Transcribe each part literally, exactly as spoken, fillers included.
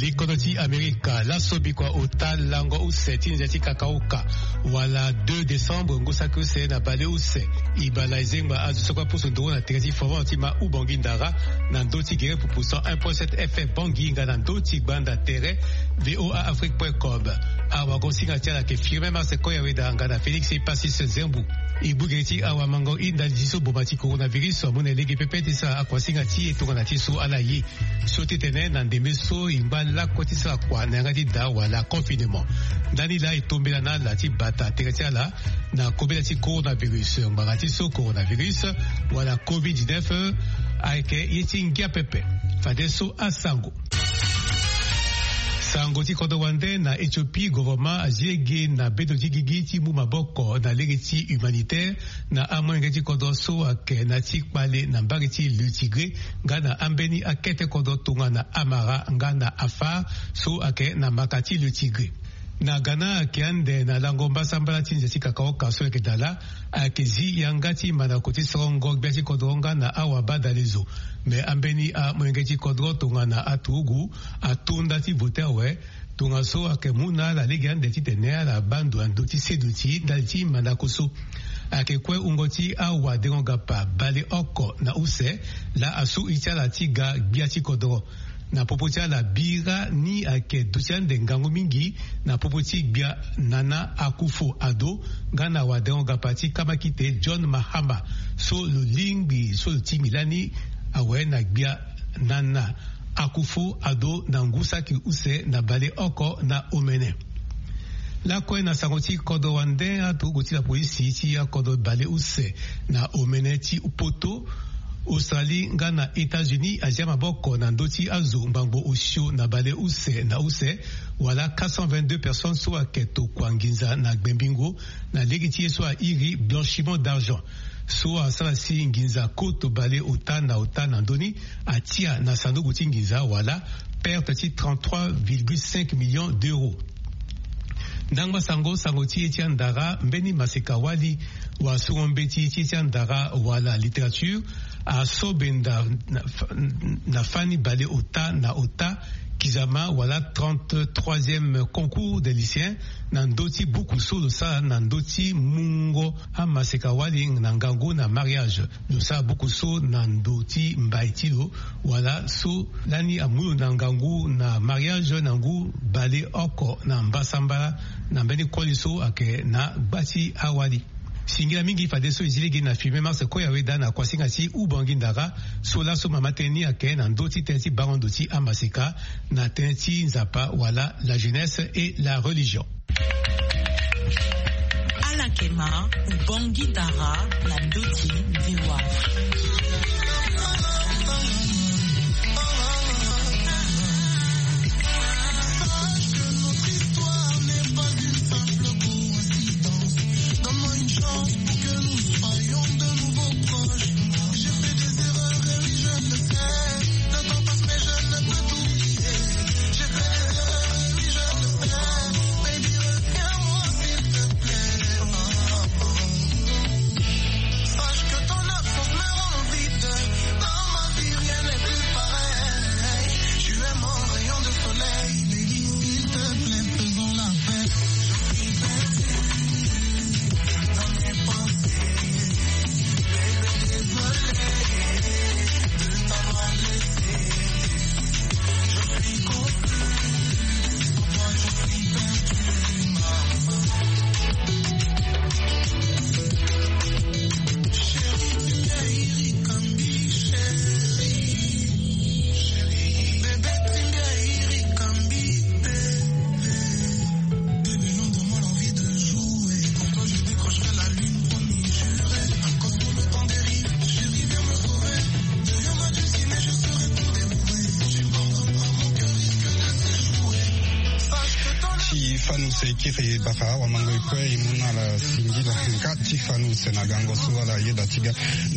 Likondo ti Amerika laso bikua ota lango use ti ndia ti kakaoka, wala deux décembre ngu saki use na baleuse. Ibala ezengba azo so kue apusu nduru na tere ti fovant ti ma Ubangui Ndara, na ndö ti gere pupu cent un point sept F M Bangui nga na ndö ti gbanda tere V O A Afrique point com. Awagosinga ti ala ayeke Firmin Mars Koyaweda nga na Félix Epasis Zembu. E gbu gere ti awamango e ndali ti so boma ti coronavirus amu na e lege pepe ti sara akuasinga ti e tongana ti so ala ye. So ti tene na ndembe so e ngba lakue ti sara kua na yanga ti da wala confinement. Ndani laa e tombela na ala ti bata tere ti ala na kobela ti coronavirus, ngbanga ti so coronavirus wala covid dix-neuf ayeke ye ti ngia pepe. Fadeso asango. Sango ti kodro wande na Éthiopie, gouvernement azi lege na bedo ti gigi ti mu maboko na lege ti humanitaire na amolenge ti kodro so ayeke na ti kpale na mbage ti Le Tigré nga na ambeni akete kodro tongana Amara nga na Afar so ayeke na maka ti Le Tigré. Na Ghana ayeke ande na lango mbasambala ti nze ti kakaoka so ayeke dala, ayeke zi yanga ti mandako ti sorongo gbia ti kodro nga na awabadalezo. Me ambeni amolenge ti kodro tongana aturugu ato nda ti vote awe. Tongaso ayeke mu na ala lege ande titene ala baa ndo na ndö ti seduti ndali ti mandako so. Ayeke kue wungo ti awadengo-gapa baleoko na use laa asu iri ti ala ti ga gbia ti kodoro. Na popo ti ala bira ni ayeke duti ande ngangu mingi na popo ti gbia Nana Akufo-Addo nga na wadengo-gapa ti kamakite John Mahama so lo lingbi so lo tingbi lani awe na gbia Nana Akufo-Addo na ngu saki use na baleoko na omene. Lakue na sango ti kodro wande, aturugu ti lapolisi ti akodro baleuse na omene ti poto, Australie nga na États-Unis azia maboko na ndö ti azo ngbangbo osio na baleuse na use, wala quatre cent vingt-deux personnes so ayeke tokua nginza na gbembingo na lege ti ye so airi blanchiment d'argent. So asara si nginza koto baleota na ota na ndö ni atia na sanduku ti nginza wala perte ti trente-trois virgule cinq millions d'euros. Ndangba sango, sango ti ye ti andara, mbeni maseka wali wa songo mbeti ti ye ti andara wala littérature aso benda na, na fani baleota na ota kizama wala trente-troisième concours des lycéens na ndö ti buku so lo sara na ndö ti mungo amaseka wali na ngangu na mariage. Lo sara buku so na ndo ti mbai ti lo wala so lani amu lo na ngangu na mariage na ngu baleoko na mbasambala na mbeni koli so ayeke na gba ti awali. Singila mingi fadeso e zi lege na filme Mars Koyaweda na kuasinga ti Ubangi Ndara so laso mama tënë ni ayeke na ndö ti tënë ti bango ndo ti amaseka na tënë ti Nzapa wala la jeunesse et la religion. Ala yeke ma Ubangi Ndara na ndö ti ndewa. Fanu se kiri bara wa mango ikwe imuna la singila nga ti fanu se na gango so ala yeda ti ga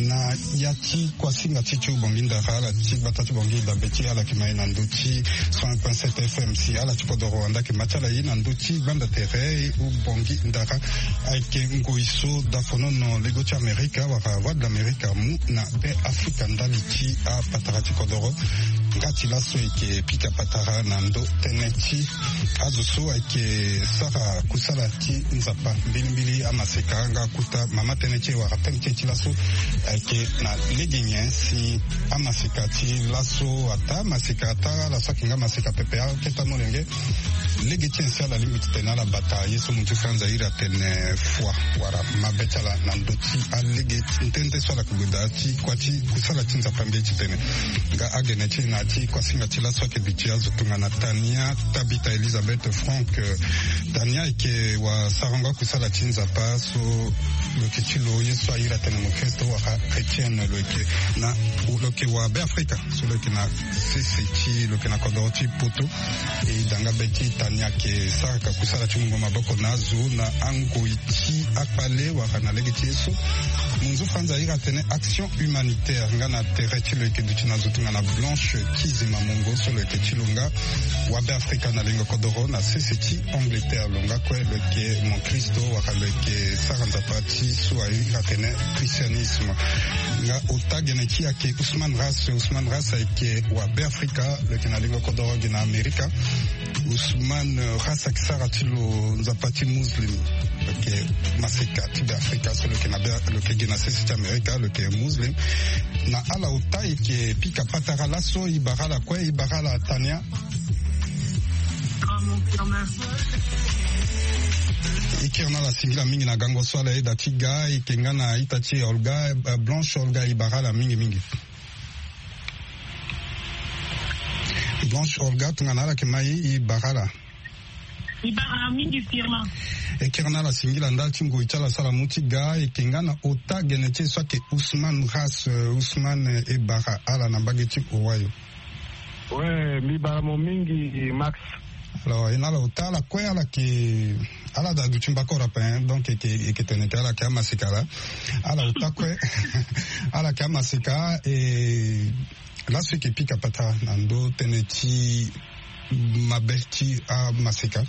na ya ti kuasinga ti ti ubongi ndara ala ti gbata ti bongi dabe ti ala yeke ma ye na ndö ti cent un point sept F M si ala ti kodoro wanda yeke ma ti ala ye na ndö ti gbanda tere ubongi ndara. Ayeke ngoi so dafonono lego ti amerika wala voie de l'amerika amu na be afrika ndali ti apatara ti kodoro. Nga ti laso eke pika patara na ndo tënë ti azo so ayeke sara kusala ti nzapa mbilimbili amaseka nga kuta mama tënë ti e wala tënë ti e ti laso. Ayeke na lege nyen si amaseka ti laso ata maseka ata ala so ayeke nga maseka pepe aketa molenge. Lege ti nyen si ala lingbi titene ala bata ye so mu ti franza iri atene fua wala mabe ti ala na ndö ti alege ti nde nde so ala yeke gue daa ti kua ti kusala ti nzapa mbi ye titene nga agene ti e na ya ti kuasinga ti laso ayeke duti azo tongana tania tabita elizabeth frank. Tania ayeke wasarango akusala ti nzapa so lo yeke ti lo ye so airi atene mokristo wala chrétienne lo yeke na lo yeke wa be afrika so lo yeke na sese ti lo yeke na kodoro ti poto. E danga be ti tania ayeke saraka kusala ti mungo maboko na azo na angoi ti akpale wala na lege ti ye so. Munzu franza airi atene action humanitaire nga na tere ti lo yeke duti na zo tongana blanche kizima mongo so lo yeke ti lo nga wa be afrika na lingo kodoro na sese ti angleterre lo nga kue lo yeke mokristo wala lo yeke sara nzapa ti so airi atene christianisme. Nga ota gene ti e ayeke usman ras usman ras ayeke wa be afrika lo yeke na lingo kodoro gi na amerika. Usman ras ayeke sara ti lo nzapa ti muslim lo yeke maseka ti be afrika so lo yeke na be lo yeke gi na sese ti amerika lo yeke muslim. Na ala ota e yeke pika patara laso e bara ala kue e bara ala tania. E kiri na ala singila mingi na gango so ala yeda ti ga e yeke nga na ita ti e olga blanche olga e bara ala mingi mingi. Blanche olga tongana ala yeke ma e e bara ala. E bara mingi firma. E kiri na ala singila ndali ti ngoi ti ala so ala mu ti ga e yeke nga na ota gene ti e so ayeke usman ras usman e bara ala na mbage ti owayo. We mbi bara mo mingi max. Alors e na ala ota ala kue ala yeke ala daa duti mbako rape hein donc e yeke tene ke ala yeke amasika laa. Ala ota kue ala yeke amasika e laso e yeke pika patara na ndö tënë ti mabe ti amaseka.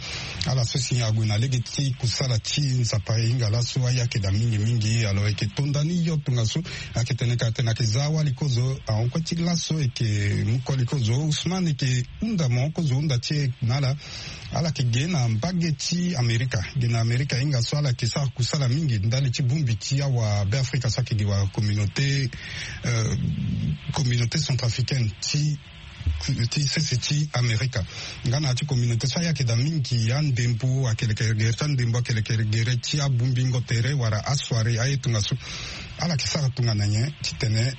Ala so si ague na lege ti kusala ti nzapa e hinga laso aya ayeke daa mingi mingi alors e yeke to nda ni yo tongaso. Ayeke tene ka atene ayeke za awali kozo ahon kue ti laso e yeke mu koli kozo usman e yeke hunda mo kozo hunda ti e na ala. Ala yeke ge na mbage ti amerika ge na amerika hinga so ala yeke sara kusala mingi ndali ti bongbi ti awa be afrika so ayeke gi wa communauté communauté centrafricaine ti ti sese ti amerika. Nga na ya ti communauté so ayeke daa mingi andembo ayeke leke gere ti andembo ayeke leke gere ti abongbingo tere wala asoire aye tongaso. Ala yeke sara tongana nyen titene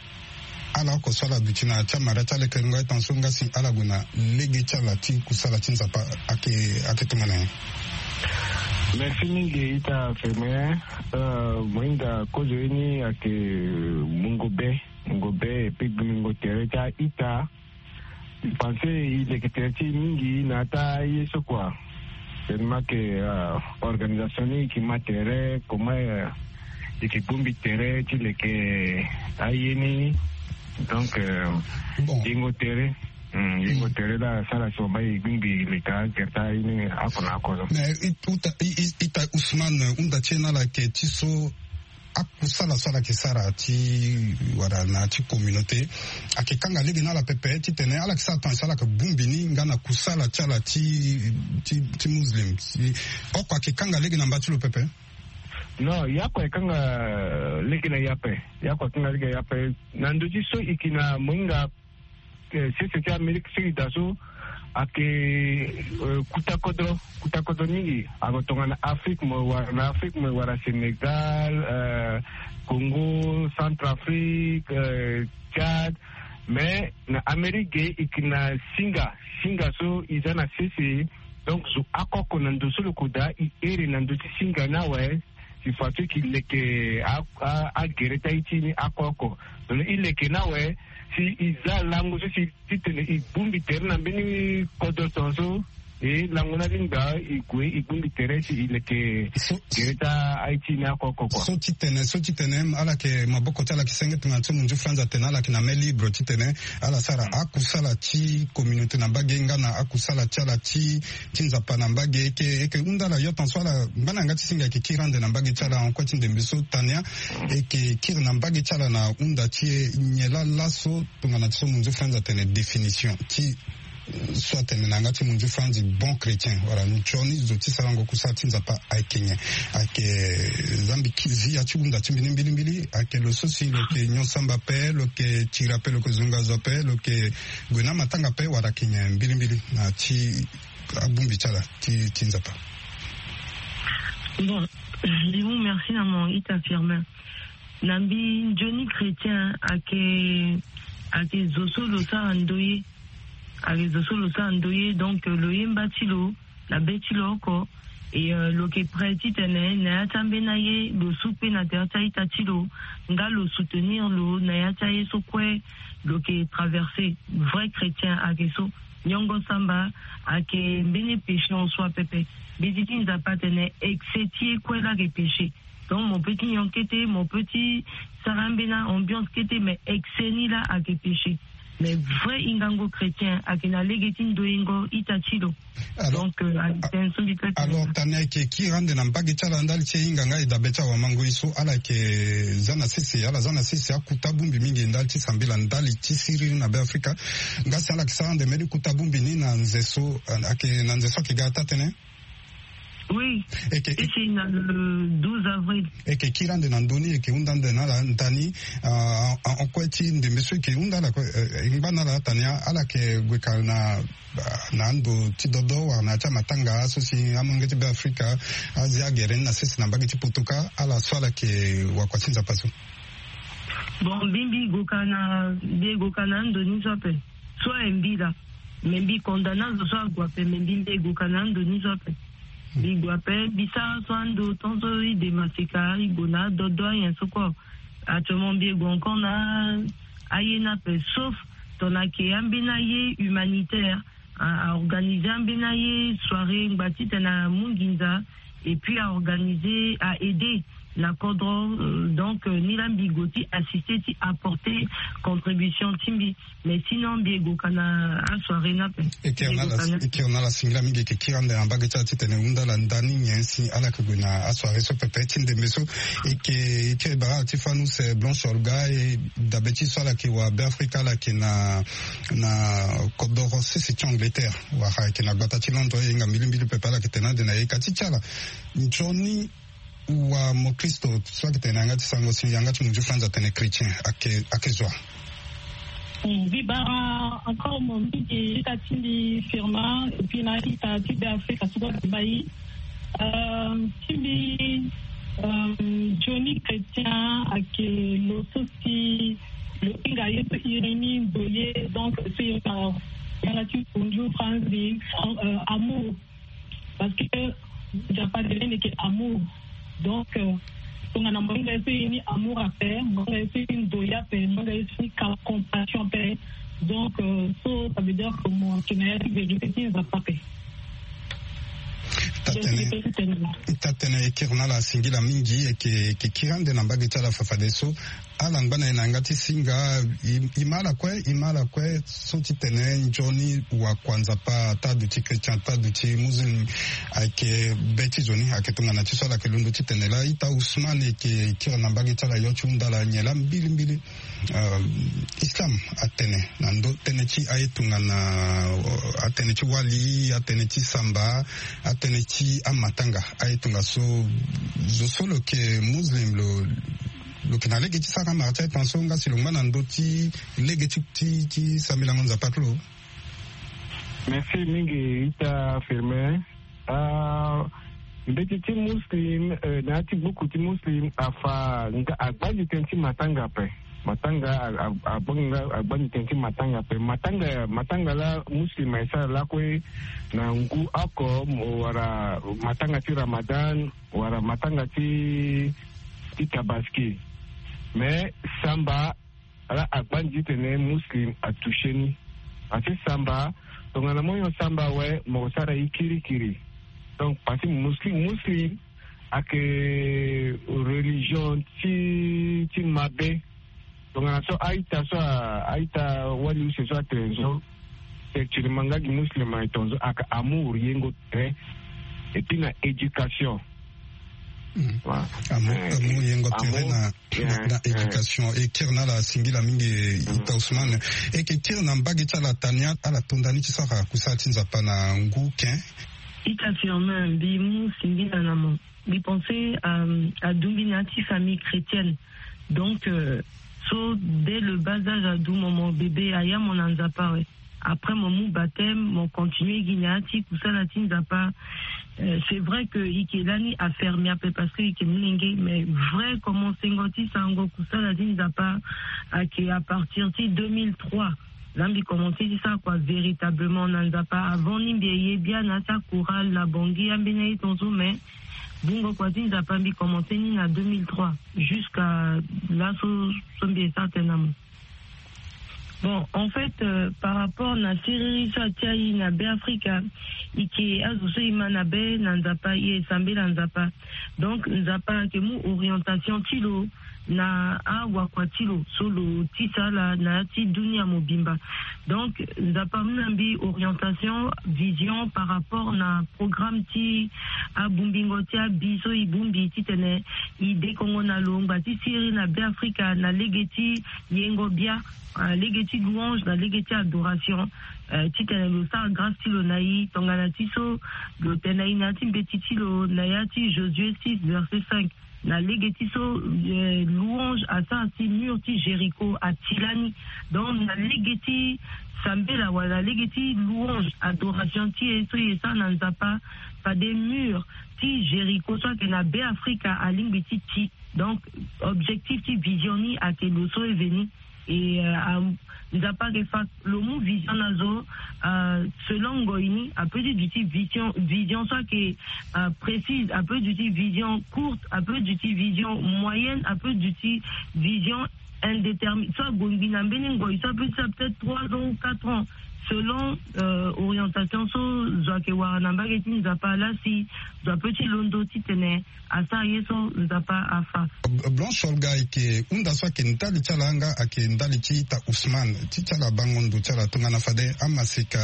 ala oko so ala duti na ya ti amara ti alekerengo aye tongaso nga si ala gue na lege ti ala ti kusala ti nzapa ayeke ayeke tongana nyen? Merci mingi ita ferme. Mohinga kozo ye ni ayeke mungo be mungo be epi gbingbingo tere ti a-ita. Pensé e leke tere ti e mingi na ata ye so kua. Tellement que organisation ni e yeke ma tere comment e yeke bongbi tere ti leke aye ni. Donc yengo tere yengo tere la asara si wamba e gbingbi leke agere ti aye ni oko na oko so. Mais ita usman hunda ti e na ala yeke ti so akusala so ala yeke sara ti wala na ya ti communauté ayeke kanga lege na ala pepe titene ala yeke sara tongaso ala yeke bongbi ni nga na kusala ti ala ti ti ti muslim. Oko ayeke kanga lege na mba ti lo pepe? Non, ye oko ayeke kanga lege na ye ape. Ye oko ayeke kanga lege na ye ape na ndö ti so e yeke na mohinga sese ti amérique sud da so ayeke kuta kodro kuta kodro mingi. Ako tongana afrique mo wara na afrique mo wara sénégal, congo, centrafrique, tchad. Mais na amérique ge e yeke na singa singa so e za na sese. Donc zo akoko na ndo so lo koda e ere na ndo ti singa ni awe. Si façon e yeke leke agere ti aye ti e ni oko oko. Tongana e leke ni awe si e za lango so si titene e bongbi tere na mbeni kodro tongaso. E lango ni alingbi e gue e gbu mbi tere si e leke gere ti aye ti e ni oko oko kua. So ti tene so ti tene ala yeke maboko ti ala yeke senge tongana so munzu France atene ala yeke na main libre ti tene ala sara akusala ti communauté na mbage nga na akusala ti ala ti ti nzapa na mbage. E yeke e yeke hunda ala yo tonso ala ngba na yanga ti singa e yeke kiri ande na mbage ti ala en kue ti ndembe so tania. E yeke kiri na mbage ti ala na hunda ti e nyen laa laso tongana ti so munzu France atene définition ti so atene na yanga ti munzu France bon chrétien wala nzoni zo ti sarango kusala ti nzapa ayeke nyen? Ayeke zambi ki- zi ya ti hunda ti mbi ni mbilimbili ayeke lo so si lo yeke nyon samba ape lo yeke tiri ape lo yeke zonga zo ape lo yeke gue na amatanga ape wala ayeke nyen mbilimbili na ti abongbi ti ala ti ti nzapa? Bon, je vous remercie na mon ita Firmin. Na mbi nzoni chrétien ayeke ayeke zo so lo sara ndoye. Ayeke zo so lo sara ndoye donc lo yemba ti lo na be ti lo oko. E lo yeke prêt titene na ya ti ambeni aye lo su kpe na tere ti a-ita ti lo nga lo soutenir lo na ya ti aye so kue lo yeke traverser. Vrai chrétien ayeke so. Nyongo samba ayeke mbeni péché en soi pepe. Mbeti ti nzapa atene excès ti e kue laa ayeke péché. Donc mo peut ti nyon kete, mo peut ti sara ambeni ambiance kete, mais excès ni laa ayeke péché. Mais vrai hingango chrétien ayeke na lege ti ndoyengo ita ti lo. Donc ayeke tënë so mbi peut ti. Alors tani ayeke kiri ande na mbage ti ala ndali ti e hinga nga e dabe ti awamangoi so ala yeke za na sese ala za na sese akuta bongbi mingi ndali ti sambela ndali ti siriri na be afrika. Nga si ala yeke sara ande mbeni kuta bongbi ni na nze so ayeke na nze so ayeke ga taa tënë. Oui. Eke. Eke na le douze avril. Eke kiri ande na ndö ni eke hunda ande na ala ndani. En kue ti ndembe so eke hunda ala kue e ngba na ala tani ala yeke gue ka na na ando ti dodo wala na ya ti amatanga so si amolenge ti be afrika azi agere ni na sese na mbage ti poto kâ ala so ala yeke wakua ti nzapa so. Bon mbi mbi go ka na mbi go ka na ando ni so ape. So aye mbi laa. Me mbi condamné azo so ague ape me mbi mbi e gue ka na ando ni so ape. Mbi gue ape mbi sara so ando tant so ide maseka e gue na adodo anyen so kue. Actuellement mbi e gue encore na aye ni ape sauf tongana ayeke ambeni aye humanitaire. A organisé ambeni aye soirée ngba titene amu nginza. Et puis a organisé a aidé na kodro. Donc ni laa mbi gue ti assisté ti apporté contribution ti mbi. Mais sinon mbi e gue ka na asoirée ni ape. E kiri na ala singila mingi e yeke kiri ande na mbage ti ala titene e hunda ala ndani nyen si ala yeke gue na asoirée so pepe ti ndembe so. E yeke e kiri bara ala ti fâ ni use blanche olga e dabe ti so ala yeke wa be afrika ala yeke na na kodoro sese ti angleterre. Wala ayeke na gbata ti londres e hinga mbilimbili pepe ala yeke tene ande na ye ka ti ti ala. Nzoni wa mokristo so ayeke tene na yanga ti sango si yanga ti munzu franz atene chrétien ayeke zo wa? Mbi bara encore mo mingi ita ti mbi firma et puis na ita ti be afrika so kue mbi bai. Ti mbi nzoni chrétien ayeke lo so si lo hinga ye so iri ni ndoye donc so iri na yanga ti munzu franz ni amour. Parce que nzapa de lene yeke amour. Donc tongana mo hinga ye so iri ni amour ape mo hinga ye so iri ni ndoye ape mo hinga ye so iri ni compassion ape. Donc so ça veut dire que mo yeke na ya ti vérité ti nzapa ape. Tatene tatene e kiri na ala singila mingi e yeke kiri ande na mbage ti ala fafadeso. Ala ngba na e na yanga ti singa. E ma ala kue e ma ala kue so titene nzoni wakua nzapa ata duti chrétien ata duti muslim. Ayeke be ti zo ni ayeke tongana ti so ala yeke londo titene laa ita usman e yeke kiri na mbage ti ala yo ti hunda ala nyen laa mbilimbili. Islam atene na ndö tënë ti aye tongana atene ti wali atene ti samba atene ti amatanga aye tongaso zo so lo yeke muslim lo lo yeke na lege ti sara mara ti aye tongaso nga si lo ngba na ndö ti lege ti ti ti sambelango nzapa ti lo. Merci mingi ita firmin. Mbeti ti muslim na ya ti gbuku ti muslim afa nga agbandi tënë ti matanga ape. Matanga abanga agbandi tënë ti matanga ape matanga matanga laa muslim aye sara lakue na ngu oko wala matanga ti ramadan wala matanga ti ti tabaski. Mais samba laa agbandi titene muslim atouché ni. Parce que samba, tongana mo nyon samba awe, mo sara ye kirikiri. Donc parce que muslim, muslim ayeke religion ti ti mabe. Tongana so a-ita so a, a-ita wali use so atene so, effectivement nga gi muslim aye tongaso, ayeke amour, yengo tere. Et puis na éducation. Voilà. Amour, amour yengo tere na, na éducation. E kiri na ala singila mingi, ita Ousmane. E yeke kiri na mbage ti ala tania, ala tonda ni ti sara kusala ti Nzapa na ngu ken. Ita Firmin, mbi mu singila na mo. Mbi pense, euh, adumbi na ya ti famille chrétienne. Donc, euh, so dès le bas âge, adu mo, mo bébé, aya mo na Nzapa awe. Après mo mu baptême, mo continue gi na ya ti kusala ti Nzapa. Euh, c'est vrai que i yeke lani afermé ape parce que i yeke molenge, mais vrai commencengo ti sarango kusala ti Nzapa ayeke à partir ti deux mille trois. Là mbi commencé ti sara kua véritablement na Nzapa. Avant ni mbi ye bia na ya ti chorale na Bangui, ambeni aye tongaso, mais bungo kua ti Nzapa mbi commencé ni na deux mille trois jusqu'à laso, so mbi ye sara tënë na mo. Bon, en fait, euh, par rapport na siriri so atia e na Beafrika, e yeke azo so e ma na be na Nzapa, e ye sambela Nzapa. Donc Nzapa ayeke mu orientation ti lo na awakua ti lo so lo tisa ala na ya ti dunia mobimba. Donc Nzapa amu na mbi orientation, vision par rapport na programme ti abungbingo ti abi so e bungbi titene e dekongo na lo ngba ti siriri na Beafrika na lege ti yengo bia, euh, lege ti louange na lege ti adoration, euh, titene lo sara grâce ti lo na e tongana ti so lo tene na e na ya ti mbeti ti lo na ya ti Josué six verset cinq. Na lege ti so, euh, louange asara si mur ti Jéricho ati lani. Donc na lege ti sambela wala lege ti louange, adoration ti e so e sara na Nzapa, fade mur ti Jéricho so ayeke na Beafrika alingbi ti ti. Donc objectif ti vision ni ayeke lo so e veni. Et, euh, am-, Nzapa ayeke fa lo mu vision na zo, euh, selon ngoi ni, apeut ti duti vision, vision so ayeke, euh, précise, apeut duti vision courte, apeut duti vision moyenne, apeut duti vision indéterminée. So ague ngbi na mbeni ngoi so apeut ti sara peut-être trois ans ou quatre ans, selon, euh, orientation so zo ayeke wara na mbage ti Nzapa. Laa si zo apeut ti londo titene asara ye so Nzapa afa. Blanche Olga, e yeke hunda so ayeke ndali ti ala nga ayeke ndali ti ita Ousmane, ti ti ala bango ndo ti ala tongana fade amaseka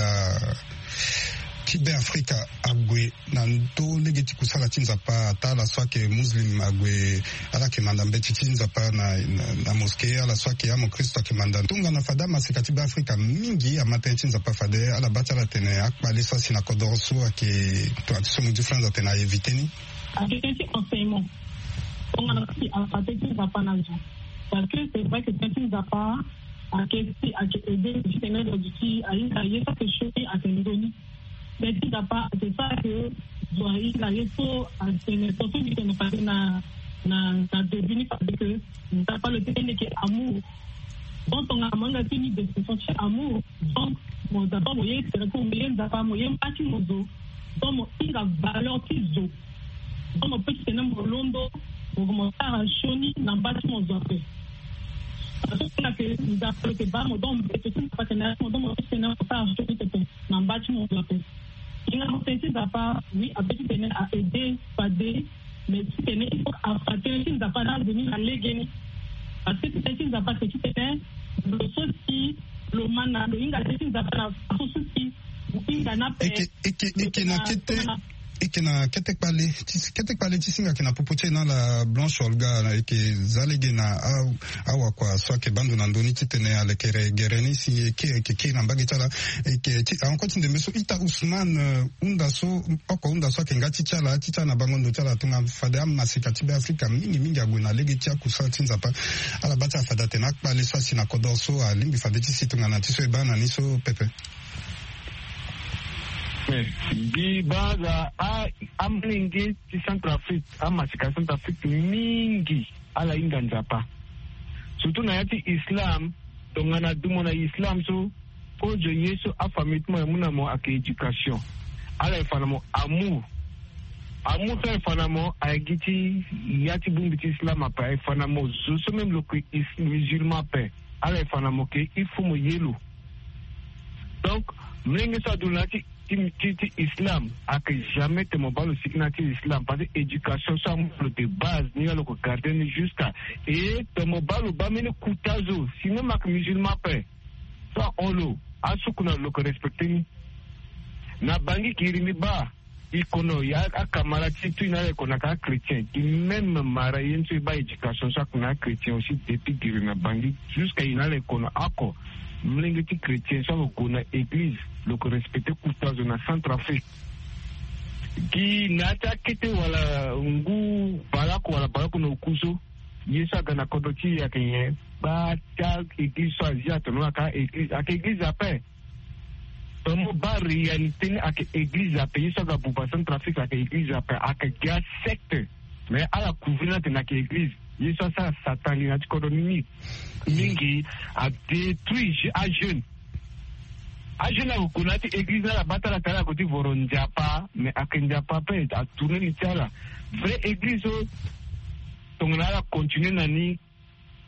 ti Beafrika ague na ndo lege ti kusala ti Nzapa, ata ala so ayeke muslim ague, ala yeke manda mbeti ti Nzapa na, na, na mosquée, ala so ayeke amokristo ayeke manda. Tongana fade amaseka ti Beafrika mingi ama tënë ti Nzapa, fade ala baa ti ala tene akpale so asi na kodoro so ayeke, tongana ti so mo di France atene a éviter ni. Ayeke tënë ti enseignement. Tongana si afa tënë ti Nzapa na zo. Parce que c'est vrai que tënë ti Nzapa ayeke si ayeke aidé titene lo duti ahinga ye so ayeke sioni ayeke nzoni. Tënë ti Nzapa ayeke sara ke zo ahinga ye so atene, so so mbi tene fade na, na, na début ni fade ke Nzapa lo tene ni yeke amour. Donc tongana mo hinga ti ni description ti amour. Donc mo d'abord mo ye tere ko mo ye Nzapa, mo ye mba ti mo zo. Donc mo hinga valeur ti zo. Donc mo peut ti tene mo londo, mo, mo sara sioni na mba ti mo zo ape. Parce que na ke Nzapa lo yeke baa mo, donc mbeto ti Nzapa atene mo, donc mo peut ti tene mo sara sioni pepe na mba ti mo zo ape. Hinga mo tënë ti Nzapa, oui, apeut ti tene a aidé fade, mais ti tene il faut afa tënë ti Nzapa na azo ni na legeni. Parce que tënë ti Nzapa c'est ti tene lo so si lo ma na lo hinga tënë ti Nzapa na façon so si mo hinga ni ape. Eke, eke, eke na kete, eke na kete kpale ti, kete kpale ti singa ayeke na popo ti e na ala Blanche Olga, na eke za lege na a, awakua so ayeke baa ndo na ndo ni titene alekere gere ni si eke, eke kiri na mbage ti ala. Eke ti, encore ti ndembe so ita Ousmane, euh, hunda so, oko hunda so ayeke nga ti ti ala, ti ti ala na bango ndo ti ala tongana fade amaseka ti Beafrika mingi mingi ague na lege ti akusala ti Nzapa. Ala baa ti ala fade atene akpale so asi na kodoro so alingbi fade ti si tongana ti so e baa na ni so pepe. Eh, mbi baa aza a, amolenge ti Centrafrique, amaseka Centrafrique mingi ala hinga Nzapa. Surtout na ya ti islam, tongana du mo na islam so, kozo ye so afamille ti mo aye mu na mo ayeke éducation. Ala ye fa na mo amour. Amour so aye fa na mo aye gi ti ya ti bongbi ti islam ape, aye fa na mo zo so même lo yeke is-, musulman ape. Ala ye fa na mo ke il faut mo ye lo. Donc, mlenge so adu na ti ti ti ti islam, ake jamais te mo baa lo sigi na ti islam, parce que éducation so amu lo de base ni, ya lo ko garder ni jusqu'à, et te mo baa lo baa mbeni kuta zo, sinon mo ake musulman ape. So ahon lo, asuku na lo, lo ko respecter ni. Na bangi giri ni baa, i kono ya akamara ti tu i na ala i kono aka achrétien, i même mara ye ni so i baa éducation so ake na achrétien aussi, depuis giri na bangi jusqu'à i na ala i kono oko. Mlenge ti chrétien so ake gue na église, lo ko respecter kuta zo na Centrafrique. Gi na ya ti akete wala ngu baleoko wala baleoko na oku so, ye so aga na kodro ti e ake nyen? Baa ti a église so azi atono aka église, ake église ape. Tomo baa réalité ni ake église ape, ye so aga buba Centrafrique ake église ape, ake gi asecte. Mais ala couvrir ni atene ake église, ye so asara Satan li na ti kodro ni ni. Mingi adétruire je- ajeune. Ajeune ako gue na ya ti église ni, ala baa ti ala tara ako ti voro Nzapa, mais ake Nzapa ape atourner li ti ala. Vrai église so tongana ala continuer na ni,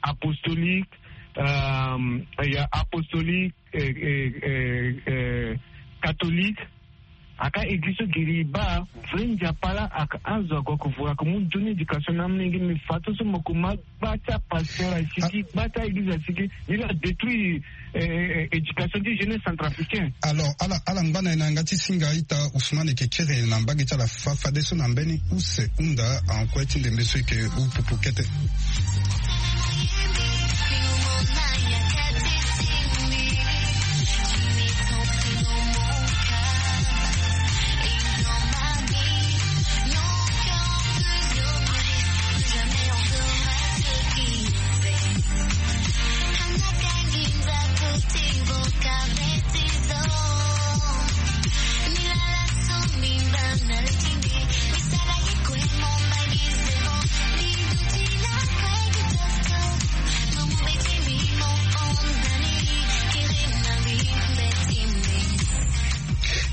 apostolique, euh, ya apostolique, euh, euh, euh, euh, catholique. Aka église so giri i baa, vrai Nzapa laa aka azo ako, ako vuru, ako mu nzoni éducation na amolenge ni. Mais fato so mo ko ma gba ti apasteur asigi, gba ti a-église asigi, ni laa adétruire, euh, euh, éducation ti jeunesse centrafricaine. Alors, ala, ala ngba na e na yanga ti singa ita Ousmane, e yeke kiri na mbage ti ala fa- fadeso na mbeni use hunda en kue ti ndembe so e yeke huu pupu kete.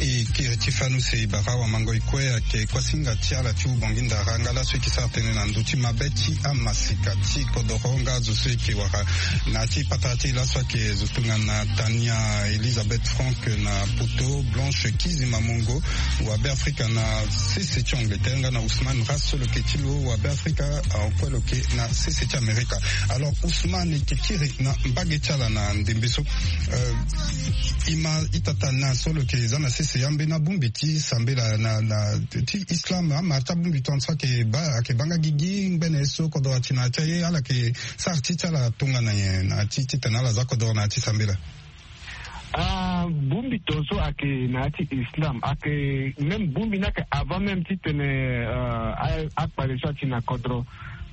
E kiri ti fanu si bara wamango e kue ayeke kuasinga ti ala ti hubongi ndara nga laso e yeke sara tënë na ndö ti mabe ti amasika ti kodoro nga azo so e yeke wara na ya ti patara ti e laso ayeke zo tongana Tania Elisabeth Frank na poto, Blanche Kizima Mongo, wabe Afrika na sese ti Angleterre, nga na Ousmane Ras so lo yeke ti lo wabe Afrika, ah, kue lo yeke na sese ti Amerika. Alors Ousmane, e yeke kiri na mbage ti ala na ndembe so, euh, e ma ita tana so lo yeke za na sese ambeni abongbi ti sambela na, na ti islam, ama ti abongbi tongaso ayeke baa, ayeke baa nga gigi ngbene so kodoro ati na ya ti aye, ala yeke sara ti ti ala tongana nyen na ya ti titene ala za kodoro na ya ti sambela? Ah, bongbi tongaso ayeke na ya ti islam, ayeke même bongbi ni ayeke avant même titene, euh, a- akpale so ati na kodro.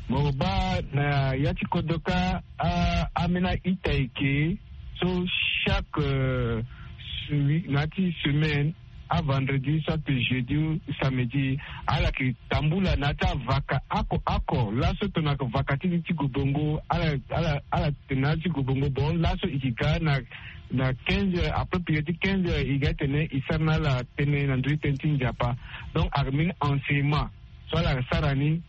Mo baa na ya ti kodro kâ, ah, ambeni a-ita eke so chaque, euh, se- na ya ti semaine, avendredi soit jeudi ou samedi, ala yeke tambula na ya ti avaka oko oko. Laso tongana vaka ti, ti gobongo, ala, ala, ala tene na ya ti gobongo, bon, laso e yeke ga na, na quinze heures, après prière ti quinze heures, e ga tene e sara na ala tënë na ndö ti tënë ti Nzapa. Donc ayeke mbeni enseignement so ala sara ni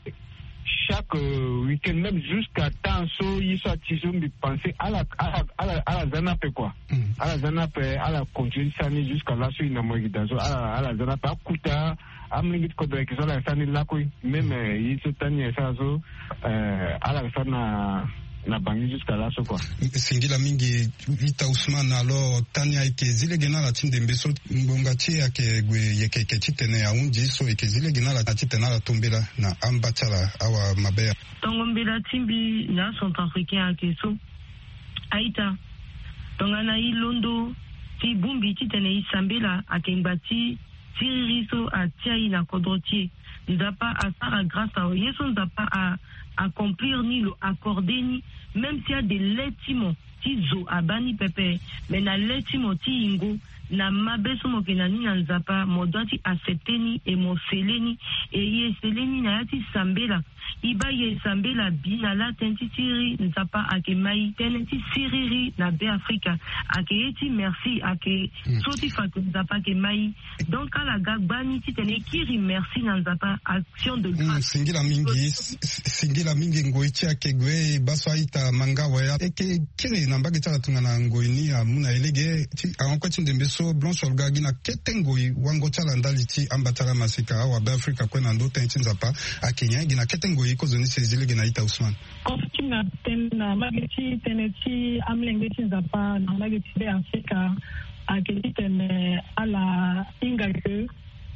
chaque, euh, week-end, même jusqu'à temps so ye so ati so mbi pensé ala, ala, ala, ala za ni ape quoi. Mm. Ala za ni ape, ala continue ti sara ni jusqu'à laso e na mo yeke daa so, ala, ala za ni ape. Akuta amolenge ti kodro ayeke so ala yeke sara ni lakue. Même, euh, ye so tani ayeke sara so, euh, ala yeke sara na, na bangi jusqu'à laso quoi. Singila mingi. Ita Ousmane, alors tani ayeke zi lege na ala ti ndembe so ngbonga ti e ayeke gue yeke yeke titene ahundi so e yeke zi lege na ala titene ala to mbela na amba ti ala awa mabe ya. Tongo mbela ti mbi na acentrafricain ayeke so. A-ita, tongana e londo ti bongbi titene e sambela ayeke ngba ti siriri so atia e na kodro ti e. Nzapa asara grâce na lo. Ye so Nzapa a accomplir ni, lo accordé ni, même si ade le ti mo ti zo abaa ni pepe, mais na le ti mo ti yingo, na mabe so mo yeke na ni na Nzapa, mo doit ti accepter ni et mo scellé ni. Et e scellé ni na ya ti sambela. E baa e sambela bi na laa tënë ti siriri Nzapa ayeke ma e, tënë ti siriri na Beafrika. Ayeke ye ti merci, ayeke so ti fa ke Nzapa ayeke ma e. Donc ala ga gbani titene e kiri merci na Nzapa, action de grâce. Singila mingi. Singila mingi. Ngoi ti e ayeke gue, e baa so a-ita ma nga awe. E yeke kiri na mbage ti ala tongana ngoi ni amu na e lege ti ahon kue ti ndembe so Blanche Olga, gi na kete ngoi wango ti ala ndali ti amba ti ala maseka awabe Afrika kue na ndö tënë ti Nzapa, ayeke nyen? Gi na kete ngoi kozoni si e zi lege na ita Ousmane. Kozo ti nga tënë na mbage ti tënë ti amolenge ti Nzapa na mbage ti Beafrika ayeke titene ala hinga ke,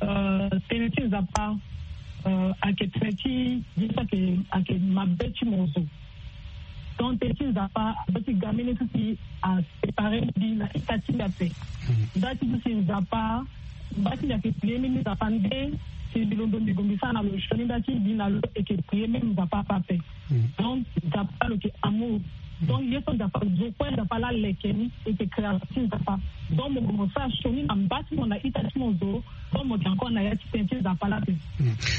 euh, tënë ti Nzapa, euh, ayeke tënë ti ye so ayeke, ayeke mabe ti mo zo. Donc tënë ti Nzapa azo ti ga mbeni so si asépare mbi na ita ti mbi ape. Nda ti so si Nzapa, mba ti mbi ayeke prier mbi, Nzapa nde si mbi londo mbi gue mbi sara na lo sioni, nda ti mbi na lo eke prier même Nzapa ape ape. Donc Nzapa lo yeke amour. Donc ye so Nzapa zo kue, Nzapa la leke ni, e yeke création ti Nzapa. Donc mo gue mo sara sioni na mba ti mo na ita ti mo zo, donc mo yeke encore na ya ti tënë ti Nzapa la ape.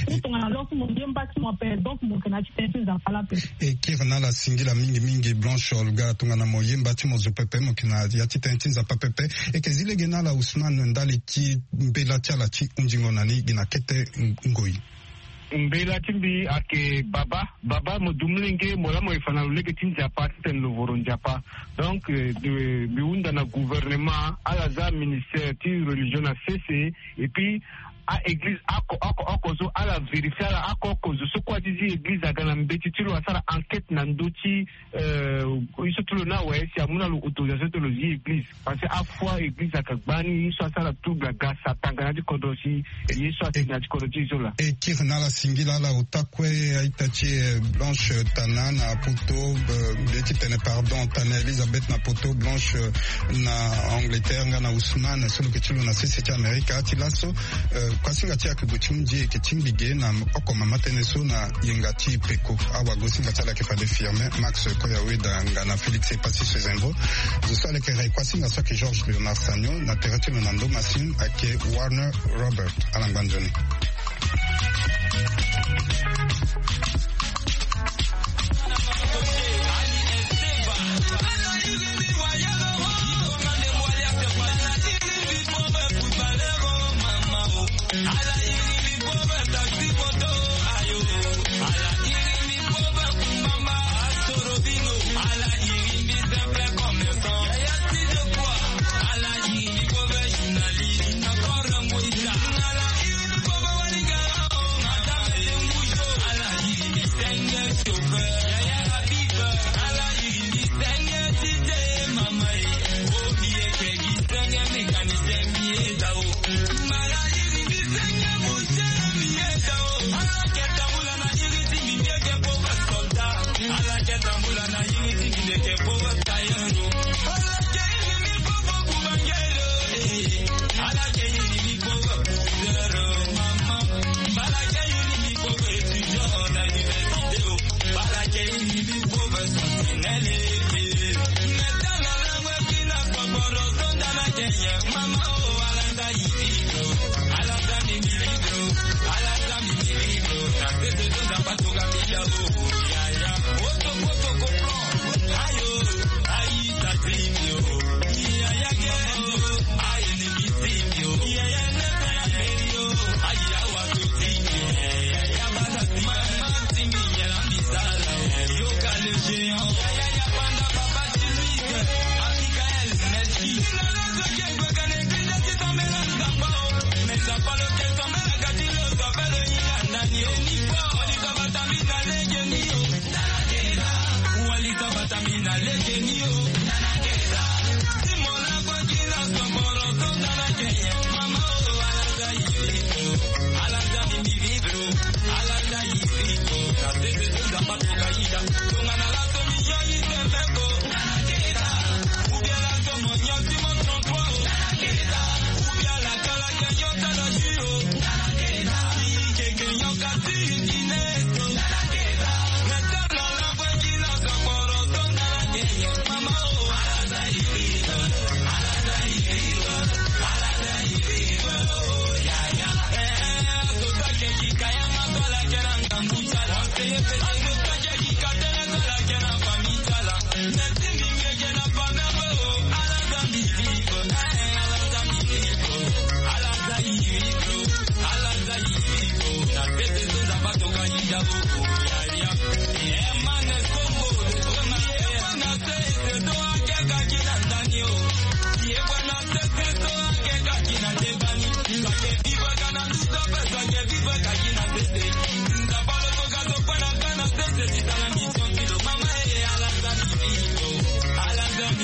Ou tongana lo so mo ye mba ti mo ape, donc mo yeke na ya ti tënë ti Nzapa la ape. E kiri na ala singila mingi mingi Blanche Olga, tongana mo ye mba ti mo zo pepe, mo yeke na ya ti tënë ti Nzapa pepe. E yeke zi lege na ala Ousmane ndali ti mbela ti ala ti hundingo na ni gi na kete ngoi. Mbela ti mbi ayeke baba, baba mo du molenge, mo laa mo ye fa na lo lege ti Nzapa titene lo voro Nzapa. Donc, euh, de, mbi hunda na gouvernement, ala za ministère ti religion na sese, et puis a-église oko oko oko so ala vérifier ala oko oko zo so kue azi zi église aga na mbeti ti lo asara enquête na ndö ti, euh, ye so ti lo ni awe si amu na lo autorisation ti lo zi église. Parce que afoi église ayeke gbani ye so asara trouble aga sa tanga na ya ti kodro si ye so atene na ya ti kodro ti e so laa. E kiri na ala singila ala ota kue a-ita ti e, eh, Blanche Tana na poto, eh, mbi ye ti tene pardon, Tana Elisabeth na poto, Blanche, eh, na Angleterre nga na Ousmane so lo yeke ti lo na sese ti Amerika. Ti laso, eh, kuasinga ti e ayeke gue ti hunzi e yeke ti mbi ge na oko mama tënë so na yenga ti peko. Awagosinga ti ala ayeke fade Firmin, Max Koyaweda nga na Félix Epassi Sezenvo. Zo so ala yeke rai kuasinga so ayeke Georges Léonard Sagno, na tere ti lo na ndo masini ayeke Warner Robert. Ala ngba nzoni.